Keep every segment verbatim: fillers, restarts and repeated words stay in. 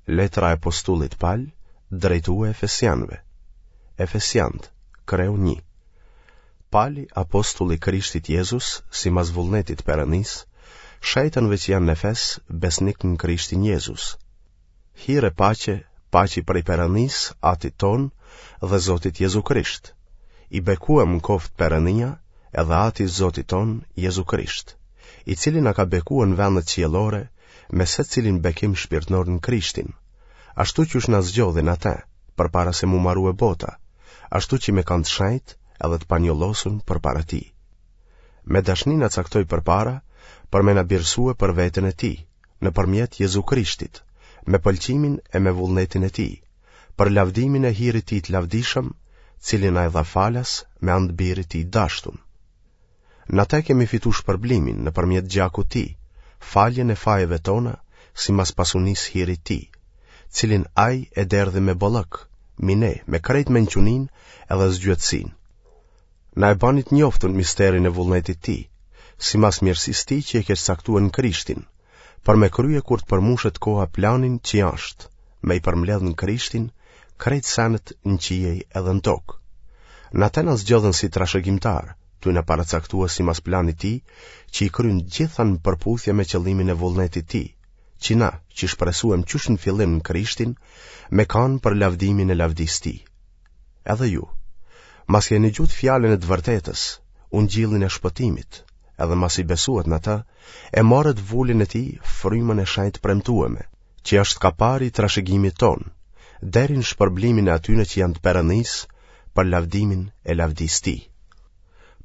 Letra e apostullit Pal, drejtue Efesianëve. Efesiant, kreu një. Pali, apostull i Krishtit Jezus, simas vullnetit Perëndisë, shejtënve që janë në Efes, besnik në Krishtin Jezus. Hir e paqe, paçi prej Perëndisë, Atit tonë dhe Zotit Jezu Krisht. I bekuem koftë Perëndia edhe Ati i Zotit tonë, Jezu Krisht, i cili na ka bekue në vendet qiellore me secilin bekim shpirtnor në Krishtin, ashtu qysh na zgjodhi në atë, përpara se mu marue bota, ashtu që me kanë të shejt edhe të panjollosun përpara tij. Me dashni na caktoi përpara, për me na birësue për veten e tij, nëpërmjet Jezu Krishtit, me pëlqimin e me vullnetin e tij, për lavdimin e hirit tij të lavdishëm, cilin na e dha falas me anë të birit tij dashtun. Në atë kemi fitu shpërblimin nëpërmjet gjakut tij, faljen e fajeve tona, simas pasunisë hirit tij, cilin ai e derdhi me bollëk, mi ne, me krejt mençuninë edhe zgjuarsinë. Na e bani të njoftun misterin e vullnetit tij, simas mirësisë tij që e kish caktue në Krishtin, për me krye kur të përmushet koha planin që është, me i përmbledh në Krishtin, krejt senet në qiej edhe në tokë. Në atë na zgjodhën si trashëgimtar, tu na paracaktue simas planit tij, që i kryen gjitha në përputhje me qëllimin e vullnetit tij, që na, që shpresuem qysh në fillim në Krishtin, me kanë për lavdimin e lavdisë tij. Edhe ju, mas e nigjutë fjalën e të vërtetës, ungjillin e shpëtimit, edhe mas i besuat në ta, e morët vulën e tij, frymën e shenjtë premtueme, që është kapari i trashëgimit tonë, deri në shpërblimin e atyne që janë të Perëndisë për lavdimin e lavdisë tij.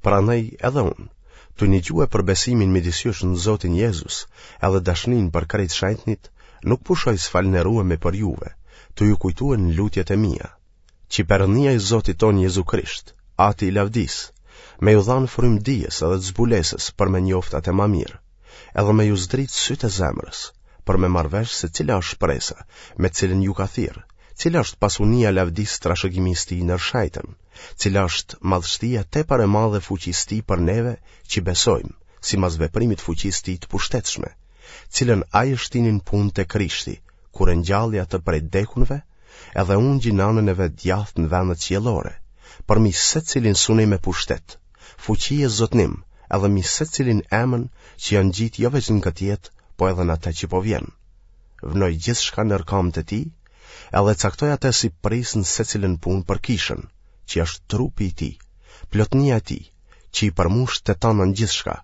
Prandaj edhe unë, tu nigjue për besimin midis jush në Zotin Jezus, edhe dashnin për krejt shenjtnit, nuk pushoj s'falënderuemi për juve, tu ju kujtue në lutjet e mia, që Perëndia i Zotit tonë Jezu Krisht, Ati i lavdisë, me ju dhanë frymë dijes edhe të zbulesës për me njoft atë ma mirë, edhe me ju zdrit sytë e zemrës, për me marrë vesh se cila është shpresa me cilën ju ka thirrë, cila është pasunia e lavdisë trashëgimisë tij nër shejtën, cila është madhështia tepër e madhe fuqisë tij për neve që besojmë, simas veprimit fuqisë tij të pushtetshme, cilën ai e shtini në punë te Krishti, kur e ngjalli atë prej vdekunve, edhe ungji në anën e vet djathtë në vendet qiellore, përmi secilin sunim e pushtet, fuqi e zotnim, edhe mi secilin emën që janë ngjitë jo veç në këtë jetë, po edhe në atë që po vjen. Vnoi gjithçka nër kamët e tij, edhe caktoi atë si prijës në secilën punë për kishën, që është trupi i tij, plotnia e tij, që i përmush të tana në gjithçka.